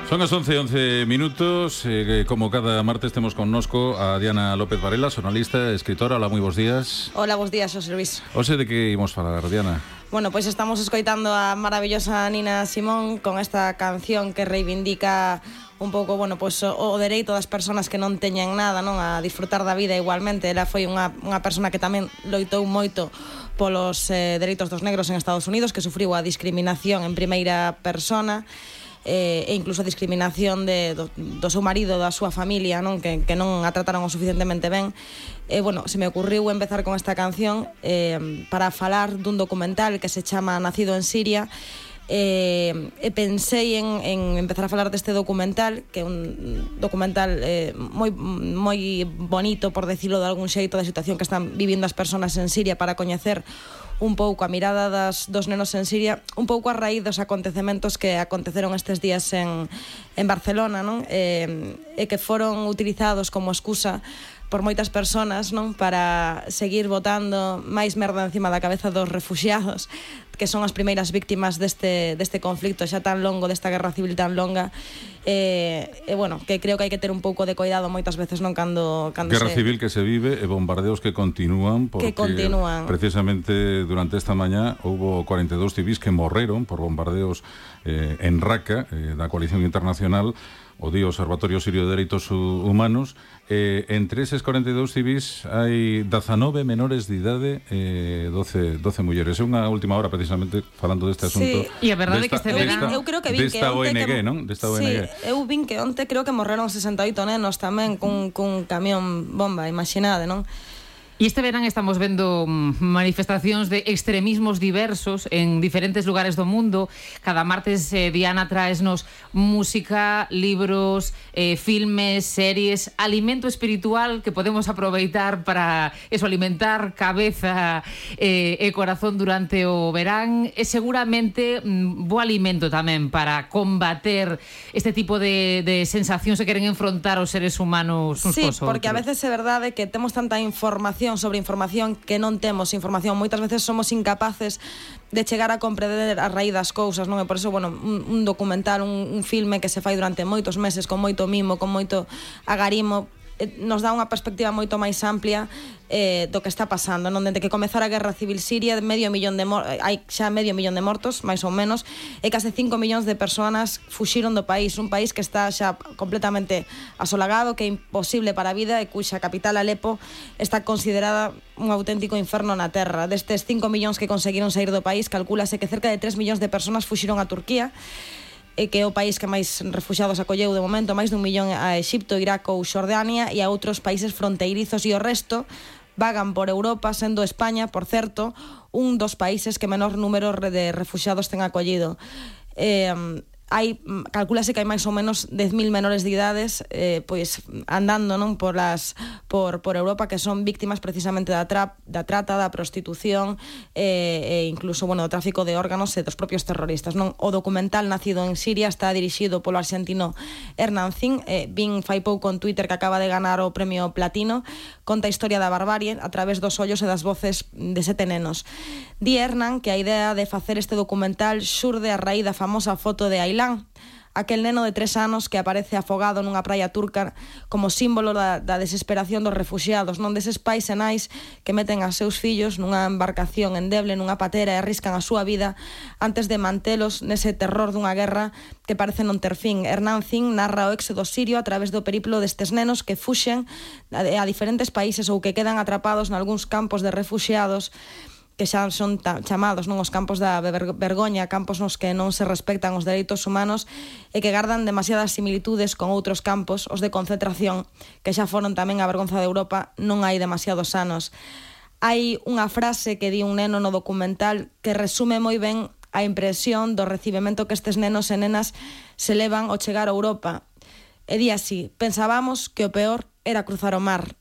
Son as 11:11 minutos. Como cada martes temos connosco a Diana López Varela, xornalista, escritora. Hola, moi bons días. Hola, bons días, Xosé Luis. Hoxe de que imos falar, Diana? Bueno, pois estamos escoitando a maravillosa Nina Simón con esta canción que reivindica un pouco, bueno, pois o dereito das persoas que non teñen nada, non, a disfrutar da vida igualmente. Ela foi unha persona que tamén loitou moito polos dereitos dos negros en Estados Unidos, que sufriu a discriminación en primeira persona, e incluso a discriminación do seu marido, da súa familia, non, que non a trataron o suficientemente ben. Bueno, se me ocurriu empezar con esta canción para falar dun documental que se chama Nacido en Siria. Pensei en empezar a falar deste documental, que é un documental moi bonito, por decirlo de algún xeito, da situación que están vivindo as persoas en Siria, para coñecer un pouco a mirada dos nenos en Siria, un pouco a raíz dos acontecementos que aconteceron estes días en Barcelona, non? E que foron utilizados como excusa por moitas persoas, non, para seguir botando máis merda encima da cabeza dos refuxiados, que son as primeiras víctimas deste conflicto xa tan longo, desta guerra civil tan longa. Bueno, que creo que hai que ter un pouco de cuidado moitas veces, non, cando guerra civil que se vive e bombardeos que continúan, porque precisamente durante esta mañá houbo 42 civis que morreron por bombardeos en Raqqa, da coalición internacional, o di Observatorio Sirio de Dereitos Humanos. Entre eses 42 civis hai 19 menores de idade, 12 mulleres. É unha última hora precisamente falando deste asunto. Sí. E a verdade é que este verán eu creo que vin desta ONG, non? Desta ONG. Sí, eu vin que onte creo que morreron 68 nenos tamén cun camión bomba, imaginade, non? E este verán estamos vendo manifestacións de extremismos diversos en diferentes lugares do mundo. Cada martes Diana traesnos música, libros, filmes, series, alimento espiritual que podemos aproveitar para eso, alimentar cabeza e corazón durante o verán. E seguramente bo alimento tamén para combater este tipo de sensacións que queren enfrontar os seres humanos uns cos outros. Sí, porque a veces é verdade que temos tanta información sobre información que non temos información. Moitas veces somos incapaces de chegar a comprender a raíz das cousas, non? E por eso, bueno, un documental, un filme que se fai durante moitos meses, con moito mimo, con moito agarimo, nos dá unha perspectiva moito máis amplia do que está pasando, non? Dende que comezara a guerra civil siria, hai xa medio millón de mortos, máis ou menos, e case 5 millóns de persoas fuxiron do país, un país que está xa completamente asolagado, que é imposible para a vida e cuxa capital, Alepo, está considerada un auténtico inferno na terra. Destes 5 millóns que conseguiron sair do país, calcúlase que cerca de 3 millóns de persoas fuxiron a Turquía, que é o país que máis refuxiados acolleu de momento, máis dun millón a Exipto, Irak ou Xordania, e a outros países fronteirizos, e o resto vagan por Europa, sendo España, por certo, un dos países que menor número de refuxiados ten acollido. Calcúlase que hai máis ou menos 10.000 menores de idades pois andando, non, por Europa, que son víctimas precisamente da trata, da prostitución e incluso, bueno, do tráfico de órganos e dos propios terroristas, non? O documental Nacido en Siria está dirixido polo arxentino Hernán Zin. Vin fai pouco en Twitter que acaba de ganar o premio Platino. Conta a historia da barbarie a través dos ollos e das voces de 7 nenos. Di Hernán que a idea de facer este documental xurde a raíz da famosa foto de Ailán, aquel neno de 3 anos que aparece afogado nunha praia turca como símbolo da desesperación dos refuxiados, non, deses pais e nais que meten a seus fillos nunha embarcación endeble, nunha patera, e arriscan a súa vida antes de mantelos nese terror dunha guerra que parece non ter fin. Hernán Zin narra o éxodo sirio a través do periplo destes nenos que fuxen a diferentes países ou que quedan atrapados nalgúns campos de refuxiados que xa son chamados, non, os campos da vergoña, campos nos que non se respectan os dereitos humanos e que gardan demasiadas similitudes con outros campos, os de concentración, que xa foron tamén a vergonza de Europa non hai demasiados anos. Hai unha frase que di un neno no documental que resume moi ben a impresión do recibimento que estes nenos e nenas se levan ao chegar a Europa. E di así: pensábamos que o peor era cruzar o mar,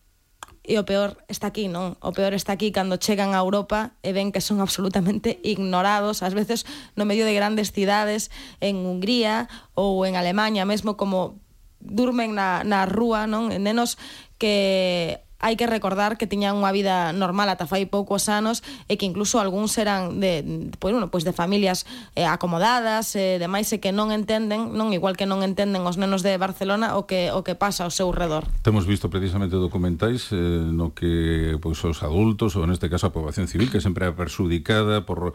e o peor está aquí, non? O peor está aquí cando chegan a Europa e ven que son absolutamente ignorados, ás veces no medio de grandes cidades, en Hungría ou en Alemanha mesmo, como durmen na rúa, non? Nenos que hai que recordar que tiñan unha vida normal ata fai poucos anos e que incluso algúns eran de familias acomodadas, demais, e que non entenden, non igual que non entenden os nenos de Barcelona o que pasa ao seu redor. Temos visto precisamente documentais no que pois os adultos, ou neste caso a poboación civil, que sempre é perxudicada por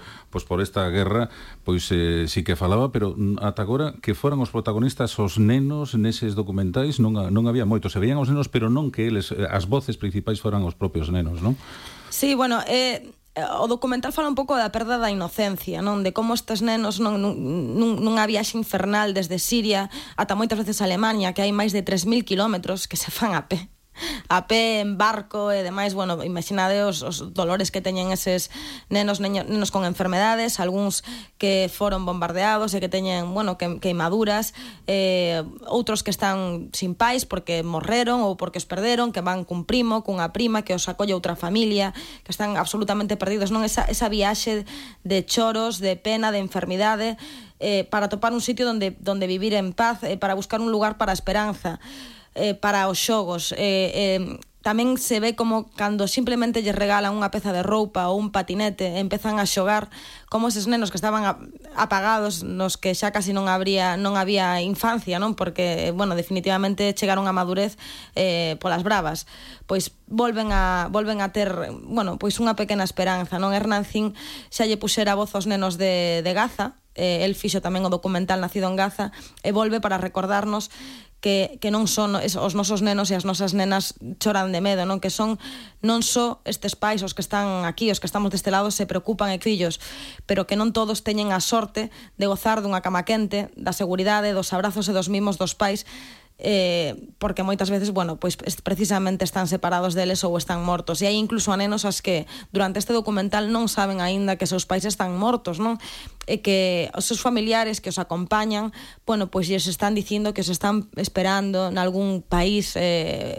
esta guerra, pois sí que falaba, pero ata agora que foran os protagonistas os nenos neses documentais non había moitos, se veían os nenos, pero non que eles, as voces principais foran os propios nenos, non? Sí, bueno, o documental fala un pouco da perda da inocencia, non? De como estes nenos nunha viaxe infernal desde Siria ata moitas veces Alemania, que hai máis de 3.000 kilómetros que se fan a pé, en barco e demais. Bueno, imaginade os dolores que teñen eses nenos con enfermedades, algúns que foron bombardeados e que teñen, bueno, queimaduras, outros que están sin pais porque morreron ou porque os perderon, que van cun primo, cunha prima, que os acolle outra familia, que están absolutamente perdidos, non? Esa viaxe de choros, de pena, de enfermidade, para topar un sitio donde vivir en paz, para buscar un lugar para a esperanza, para os xogos. Tamén se ve como cando simplemente lles regalan unha peza de roupa ou un patinete, empezan a xogar, como eses nenos que estaban apagados, nos que xa casi non había infancia, non? Porque, bueno, definitivamente chegaron a madurez polas bravas, pois volven a ter, bueno, pois unha pequena esperanza, non? Hernán Zin xa lle puxera voz aos nenos de Gaza, el fixo tamén o documental Nacido en Gaza, e volve para recordarnos que non son os nosos nenos e as nosas nenas choran de medo, non? Que son non só estes pais os que están aquí, os que estamos deste lado, se preocupan e fillos, pero que non todos teñen a sorte de gozar dunha cama quente, da seguridade, dos abrazos e dos mimos dos pais, porque moitas veces, bueno, pois precisamente están separados deles ou están mortos. E hai incluso a nenos as que durante este documental non saben aínda que seus pais están mortos, non? E que os seus familiares que os acompañan, bueno, pois lles están dicindo que os están esperando nalgún país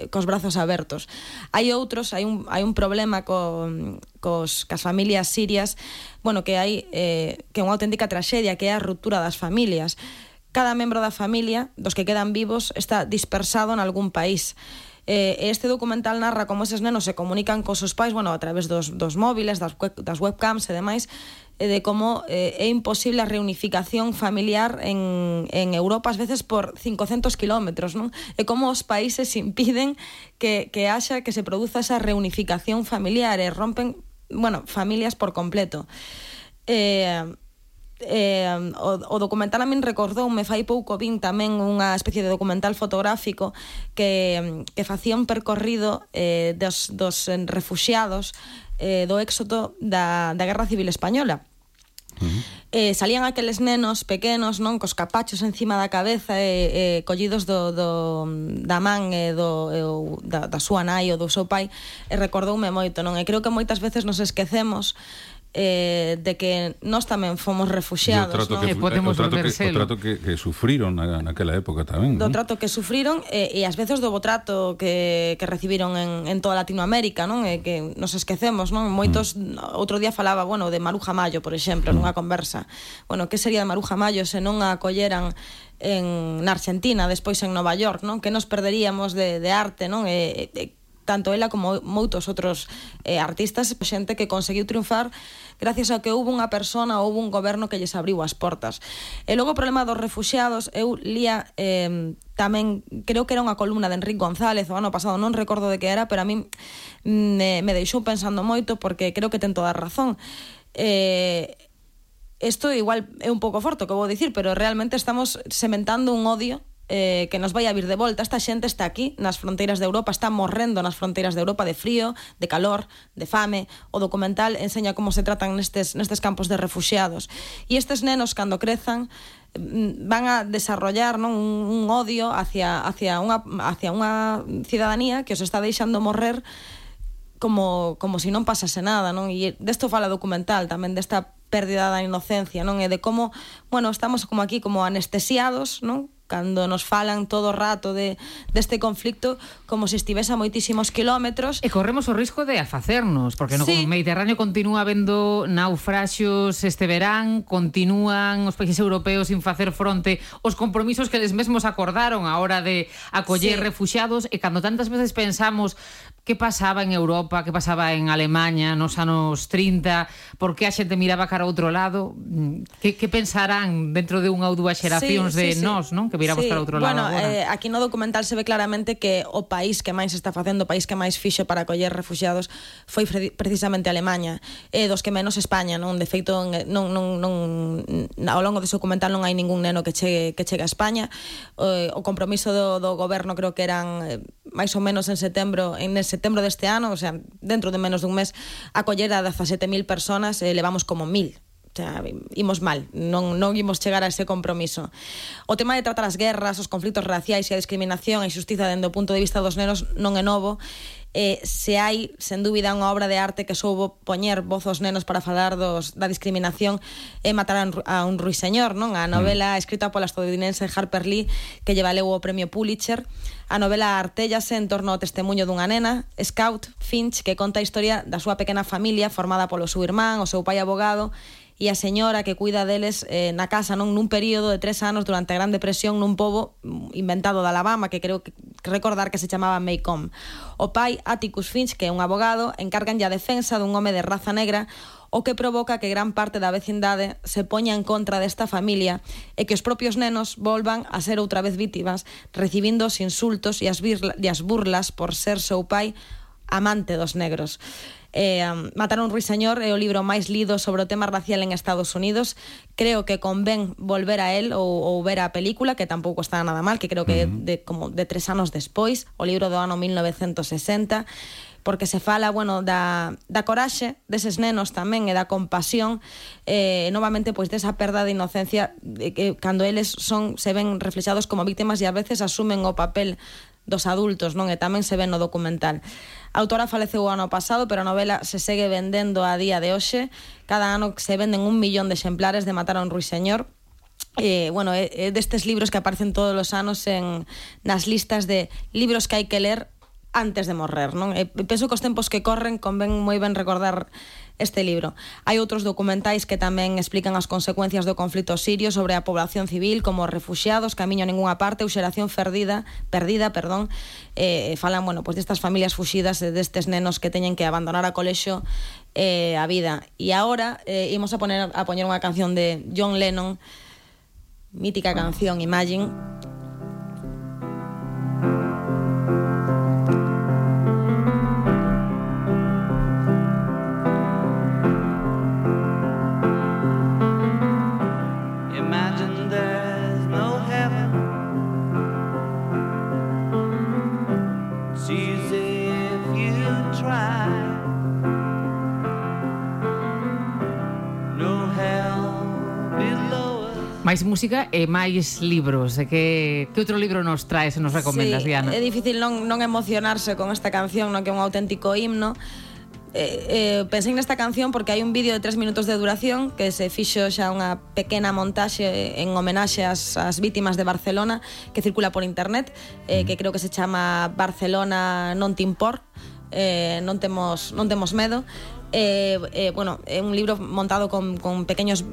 cos brazos abertos. Hai outros, hai un problema cas familias sirias, bueno, que hai que é unha auténtica traxedia, que é a ruptura das familias. Cada membro da familia, dos que quedan vivos, está dispersado en algún país. Este documental narra como eses nenos se comunican cos seus pais, bueno, a través dos móviles, das webcams e demais, de como é imposible a reunificación familiar en Europa, ás veces por 500 kilómetros, non? E como os países impiden que se produza esa reunificación familiar e rompen, bueno, familias por completo. O documental a min recordoume, fai pouco vin tamén unha especie de documental fotográfico que facía un percorrido dos refuxiados do éxodo da Guerra Civil Española. Salían aqueles nenos pequenos, non, cos capachos encima da cabeza, collidos da man da súa nai ou do seu pai, e recordoume moito, non? E creo que moitas veces nos esquecemos de que nós tamén fomos refuxiados, non? O trato que sufriron naquela época tamén, do trato que sufriron e ás veces do bo trato que recibiron en toda Latinoamérica, non? E que nos esquecemos, non? Moitos, outro día falaba, bueno, de Maruja Mayo, por exemplo, nunha conversa. Bueno, que sería de Maruja Mayo se non a acolleran na Argentina, despois en Nova York, non? Que nos perderíamos de arte, non? Tanto ela como moitos outros artistas, xente que conseguiu triunfar gracias a que houve unha persona, houve un goberno que lles abriu as portas. E logo o problema dos refuxiados, eu lía tamén, creo que era unha columna de Enrique González o ano pasado, non recordo de que era, pero a mí me deixou pensando moito, porque creo que ten toda a razón. Isto igual é un pouco forte o que vou dicir, pero realmente estamos sementando un odio que nos vai a vir de volta. Esta xente está aquí nas fronteiras de Europa, está morrendo nas fronteiras de Europa de frío, de calor, de fame. O documental enseña como se tratan nestes campos de refuxiados. E estes nenos, cando crezan, van a desarrollar, non, un odio hacia unha cidadanía que os está deixando morrer como se non pasase nada, non? E desto fala o documental tamén, desta pérdida da inocencia, non? E de como, bueno, estamos como aquí como anestesiados, non? Cando nos falan todo o rato deste conflicto como se estivese a moitísimos kilómetros. E corremos o risco de afacernos, porque no Mediterráneo continúa habendo naufraxios este verán, continúan os países europeos sin facer fronte aos compromisos que eles mesmos acordaron a hora de acoller refuxiados, e cando tantas veces pensamos que pasaba en Europa, que pasaba en Alemanha nos anos 30, por que a xente miraba cara ao outro lado, que pensarán dentro de unha ou dúas xeracións de nós, non? Que miramos cara ao outro lado agora. Aquí no documental se ve claramente que o país que máis está facendo, o país que máis fixo para acoller refugiados foi precisamente Alemanha, dos que menos España, non? De feito, ao longo dese documental non hai ningún neno que chegue a España. O compromiso do goberno creo que eran máis ou menos en setembro deste ano, o sea, dentro de menos dun mes, acoller a 17.000 personas, levamos como 1.000. O sea, imos mal, non imos chegar a ese compromiso. O tema de tratar as guerras, os conflitos raciais e a discriminación e a injustiza dende o punto de vista dos nenos non é novo. Se hai, sen dúbida, unha obra de arte que soubo poñer voz aos nenos para falar da discriminación e matar a un ruiseñor, non? A novela escrita pola estadounidense Harper Lee, que lle valeu o premio Pulitzer. A novela artéllase en torno ao testemunho dunha nena, Scout Finch, que conta a historia da súa pequena familia formada polo seu irmán, o seu pai abogado e a señora que cuida deles na casa, non, nun período de 3 anos durante a Gran Depresión nun pobo inventado de Alabama que creo que recordar que se chamaba Maycomb. O pai, Atticus Finch, que é un abogado, encarganlle a defensa dun home de raza negra, o que provoca que gran parte da vecindade se poña en contra desta familia e que os propios nenos volvan a ser outra vez vítimas, recibindo os insultos e as burlas por ser seu pai amante dos negros. Matar a un ruiseñor é o libro máis lido sobre o tema racial en Estados Unidos. Creo que convén volver a él ou ver a película, que tampouco está nada mal, que creo que é como de 3 anos despois, o libro do ano 1960, porque se fala, bueno, da coraxe deses nenos tamén e da compasión, novamente, pois desa perda de inocencia que cando eles se ven reflexados como víctimas e a veces asumen o papel dos adultos, non? E tamén se ve no documental. A autora faleceu o ano pasado, pero a novela se segue vendendo a día de hoxe. Cada ano se venden 1 millón de exemplares de Matar a un ruiseñor. Bueno, é destes libros que aparecen todos os anos nas listas de libros que hai que ler antes de morrer, non? Penso que os tempos que corren convén moi ben recordar este libro. Hai outros documentais que tamén explican as consecuencias do conflito sirio sobre a población civil, como refuxiados, camiño a ninguna parte, ou xeración perdida, falan, bueno, pues destas familias fuxidas e destes nenos que teñen que abandonar a colexio a vida. E agora imos a poñer unha canción de John Lennon, mítica canción Imagine. Máis música e máis libros. Que outro libro nos traes e nos recomendas, Diana? É difícil non emocionarse con esta canción, non, que é un auténtico himno. Pensei nesta canción porque hai un vídeo de 3 minutos de duración que se fixo xa unha pequena montaxe en homenaxe ás vítimas de Barcelona, que circula por internet, que creo que se chama Barcelona non te impor, non temos medo. Bueno, é un libro montado con pequenos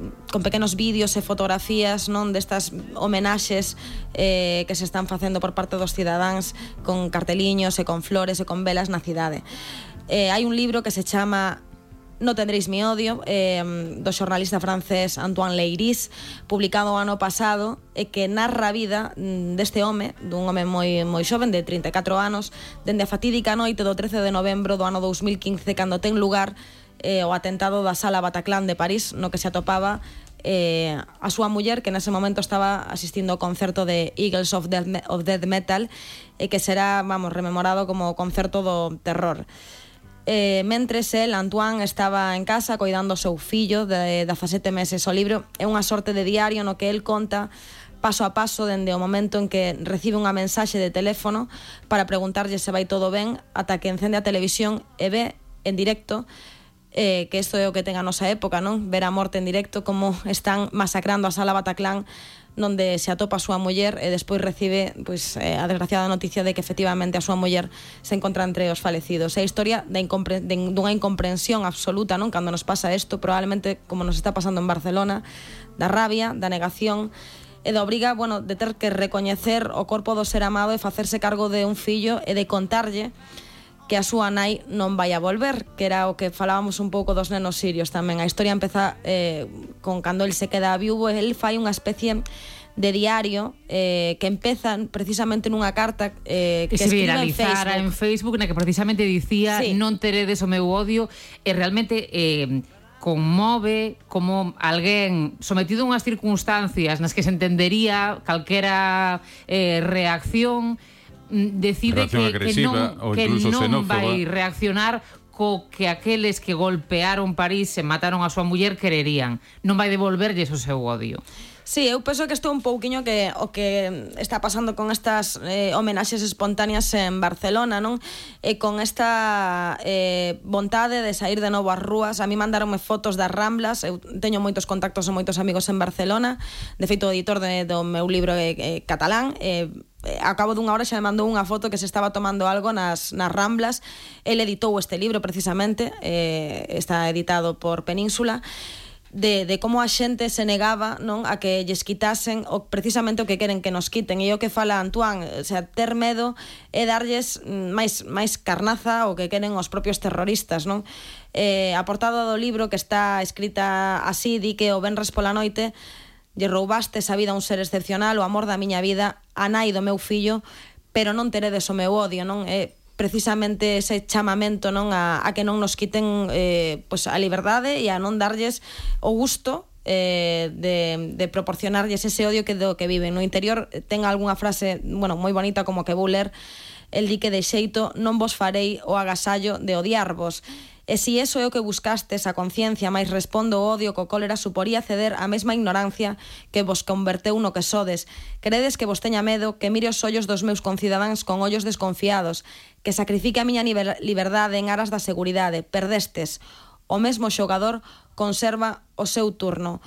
vídeos e fotografías, non, destas homenaxes que se están facendo por parte dos cidadáns, con carteliños e con flores e con velas na cidade. Hai un libro que se chama No tendréis mi odio, do xornalista francés Antoine Leiris, publicado o ano pasado, e que narra a vida deste home, dun home moi xoven, de 34 anos, dende a fatídica noite do 13 de novembro do ano 2015, cando ten lugar o atentado da Sala Bataclan de París, no que se atopaba a súa muller, que nese momento estaba asistindo ao concerto de Eagles of Death Metal, e que será, rememorado como o concerto do terror. Mentres Antoine estaba en casa coidando o seu fillo de 17 meses. O libro é unha sorte de diario no que el conta paso a paso dende o momento en que recibe unha mensaxe de teléfono para preguntarlle se vai todo ben, ata que encende a televisión e ve en directo, que isto é o que ten a nosa época, non? Ver a morte en directo, como están masacrando a Sala Bataclan, onde se atopa a súa muller, e despois recibe a desgraciada noticia de que efectivamente a súa muller se encontra entre os falecidos. É a historia dunha incomprensión absoluta, non? Cando nos pasa isto, probablemente como nos está pasando en Barcelona, da rabia, da negación e da obriga, de ter que recoñecer o corpo do ser amado e facerse cargo de un fillo e de contarlle que a súa nai non vai a volver, que era o que falábamos un pouco dos nenos sirios tamén. A historia empeza con cando el se queda viúvo, el fai unha especie de diario que empeza precisamente nunha carta que se escribe viralizara en Facebook, na que precisamente dicía non teredes o meu odio, e realmente conmove como alguén sometido a unhas circunstancias nas que se entendería calquera reacción, decide que non vai reaccionar co que aqueles que golpearon París e mataron a súa muller quererían. Non vai devolverlles o seu odio. Sí, eu penso que isto é un pouquiño o que está pasando con estas homenaxes espontáneas en Barcelona, non? E con esta vontade de sair de novo ás rúas. A mí mandaronme fotos das Ramblas, eu teño moitos contactos e moitos amigos en Barcelona. De feito, o editor do meu libro catalán, a cabo dunha hora xa me mandou unha foto que se estaba tomando algo nas Ramblas. El editou este libro precisamente, está editado por Península, de como a xente se negaba, non, a que lles quitasen precisamente o que queren que nos quiten. E o que fala Antoine, o sea, ter medo é darlles máis carnaza o que queren os propios terroristas, non? A portada do libro, que está escrita así, di que o venres pola noite lle roubastes a vida a un ser excepcional, o amor da miña vida, a nai do meu fillo, pero non teredes o meu odio, non? Precisamente ese chamamento, non, a que non nos quiten pois a liberdade e a non darlles o gusto de proporcionarlles ese odio que do que viven. No interior ten algunha frase, bueno, moi bonita, como que vou ler. El di que de xeito non vos farei o agasallo de odiarvos. E si eso é o que buscastes, a conciencia, máis respondo o odio co cólera, suporía ceder a mesma ignorancia que vos converteu no que sodes. Credes que vos teña medo, que mire os ollos dos meus concidadáns con ollos desconfiados, que sacrifique a miña liberdade en aras da seguridade. Perdestes. O mesmo xogador conserva o seu turno.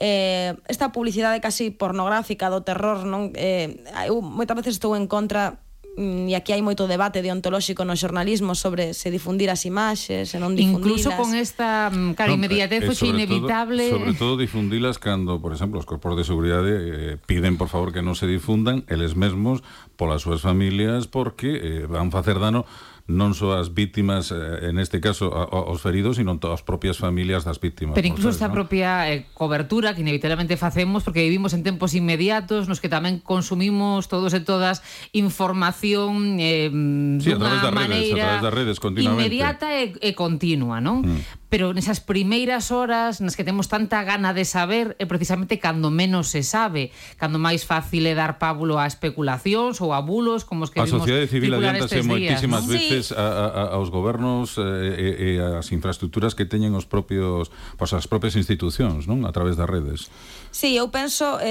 Esta publicidade casi pornográfica do terror, non? Eu moitas veces estou en contra, e aquí hai moito debate deontolóxico no xornalismo sobre se difundir as imaxes, se non difundilas. Incluso con esta inmediatez foi inevitable. Sobre todo difundilas cando, por exemplo, os corpos de seguridade piden, por favor, que non se difundan eles mesmos polas súas familias, porque van facer dano non só as vítimas, en este caso aos feridos, sino as propias familias das vítimas. Pero incluso esta propia cobertura que inevitablemente facemos, porque vivimos en tempos inmediatos nos que tamén consumimos todos e todas información dunha maneira a través das redes continuamente, inmediata e continua, non? Pero nesas primeiras horas nas que temos tanta gana de saber é precisamente cando menos se sabe, cando máis fácil é dar pábulo a especulacións ou a bulos, como os que vimos. A sociedade civil adiántase moitísimas veces Sí. aos gobernos e as infraestructuras que teñen os propios, pois as propias institucións, non? A través das redes. Sí, eu penso,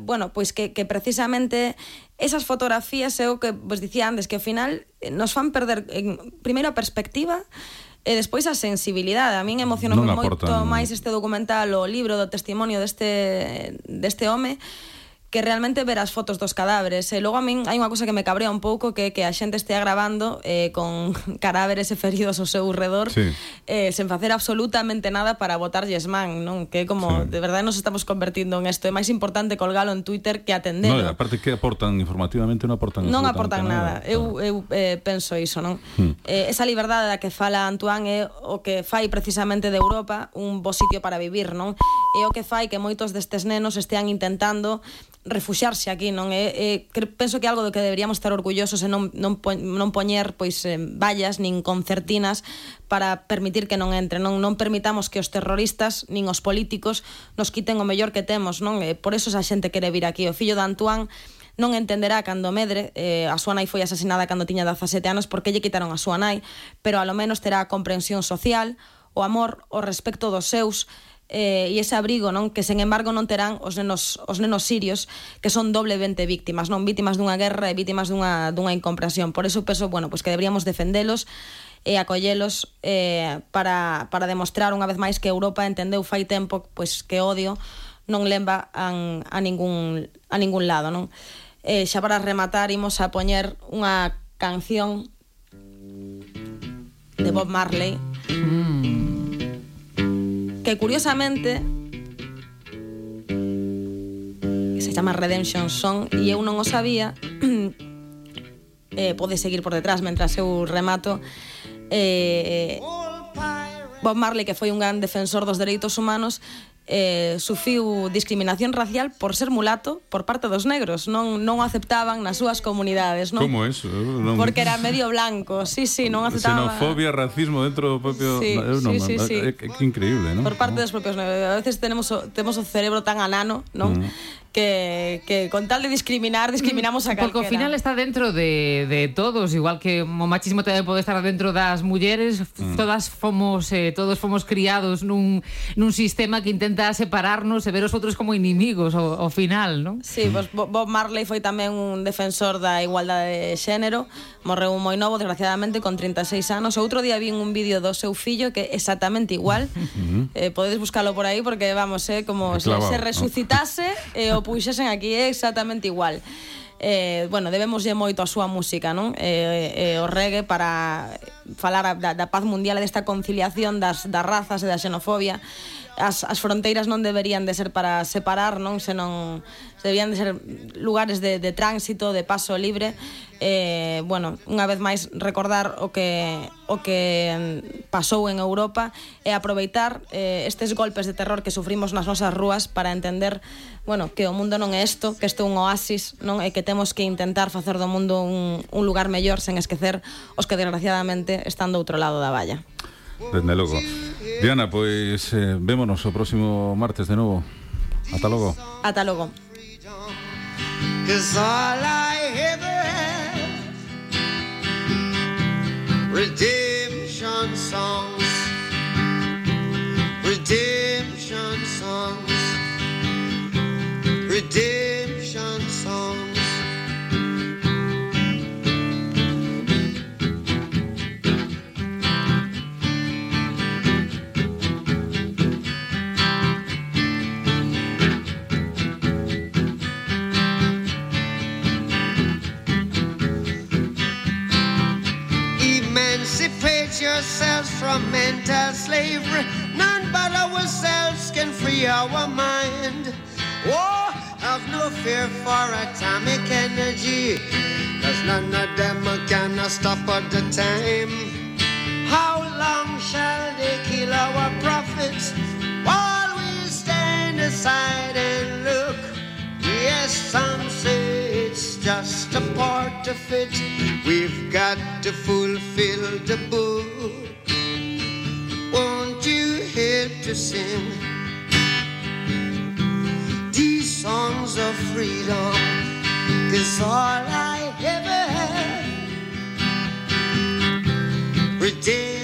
bueno, pois que precisamente esas fotografías é o que vos dicía antes, que ao final nos fan perder primeiro a perspectiva e despois a sensibilidade. A min emocionou moito máis este documental, o libro do testimonio deste home, que realmente ver as fotos dos cadáveres. E logo a min hai unha cousa que me cabrea un pouco, que a xente estea grabando con cadáveres e feridos ao seu redor, sí, sen facer absolutamente nada para botarlles man, non? Que como, sí, de verdade nos estamos convertindo en isto. É máis importante colgalo en Twitter que atendelo. No, aparte que aportan informativamente, non aportan nada. Eu penso iso, non? Esa liberdade da que fala Antoine é o que fai precisamente de Europa un bo sitio para vivir, non? É o que fai que moitos destes nenos estean intentando refuxiarse aquí, non? Penso que é algo do que deberíamos estar orgullosos e non poñer pois vallas nin concertinas para permitir que non entren, non permitamos que os terroristas nin os políticos nos quiten o mellor que temos, non? Por eso esa xente quere vir aquí. O fillo de Antoine non entenderá cando medre, a súa nai foi asesinada cando tiña 17 anos, porque lle quitaron a súa nai, pero ao menos terá a comprensión social, o amor, o respecto dos seus, e ese abrigo, non, que sen embargo non terán os nenos sirios, que son doblemente víctimas, non, víctimas dunha guerra e víctimas dunha incomprensión. Por eso penso, bueno, pues que deberíamos defendelos e acollelos para demostrar unha vez máis que Europa entendeu fai tempo pois que odio non leva a ningún lado, non? Xa para rematar imos a poñer unha canción de Bob Marley, que curiosamente se chama Redemption Song, e eu non o sabía, pode seguir por detrás mentras eu remato. Bob Marley, que foi un gran defensor dos dereitos humanos, sufriu discriminación racial por ser mulato por parte dos negros. Non o aceptaban nas súas comunidades, non? Como eso? Porque era medio blanco. Sí, non aceptaban. Xenofobia, racismo dentro do propio... Sí. Que increíble, non? Por parte dos propios negros. A veces temos o cerebro tan anano, non? Que con tal de discriminamos a calquera. Porque ao final está dentro de todos, igual que o machismo tamén pode estar dentro das mulleres. Todos fomos criados nun sistema que intenta separarnos e ver os outros como inimigos ao final, non? Sí, pues Bob Marley foi tamén un defensor da igualdade de xénero. Morreu moi novo, desgraciadamente, con 36 anos. Outro día vi un vídeo do seu fillo que é exactamente igual. Podedes buscalo por aí porque, vamos, como se resucitase e o puxesen aquí, é exactamente igual. Bueno, debemoslle moito a súa música, non? O reggae para falar da paz mundial e desta conciliación das razas e da xenofobia. As fronteiras non deberían de ser para separar, non? Senón deberían de ser lugares de tránsito, de paso libre. Bueno, unha vez máis recordar o que pasou en Europa e aproveitar estes golpes de terror que sufrimos nas nosas rúas para entender, bueno, que o mundo non é isto, que isto é un oasis, non? E que temos que intentar facer do mundo un lugar mellor sen esquecer os que desgraciadamente están do outro lado da valla. Desde logo. Diana, pois vémonos o próximo martes de novo. Ata logo. Ata logo. Redemption songs, redemption songs, redemption songs. Emancipate yourselves from mental slavery. None but ourselves can free our mind. Oh, have no fear for atomic energy, 'cause none of them can stop at the time. How long shall they kill our prophets while we stand aside and look? Yes, some say it's just a part of it. We've got to fulfill the book. Won't you help to sing these songs of freedom? 'Cause all I ever had, redemption.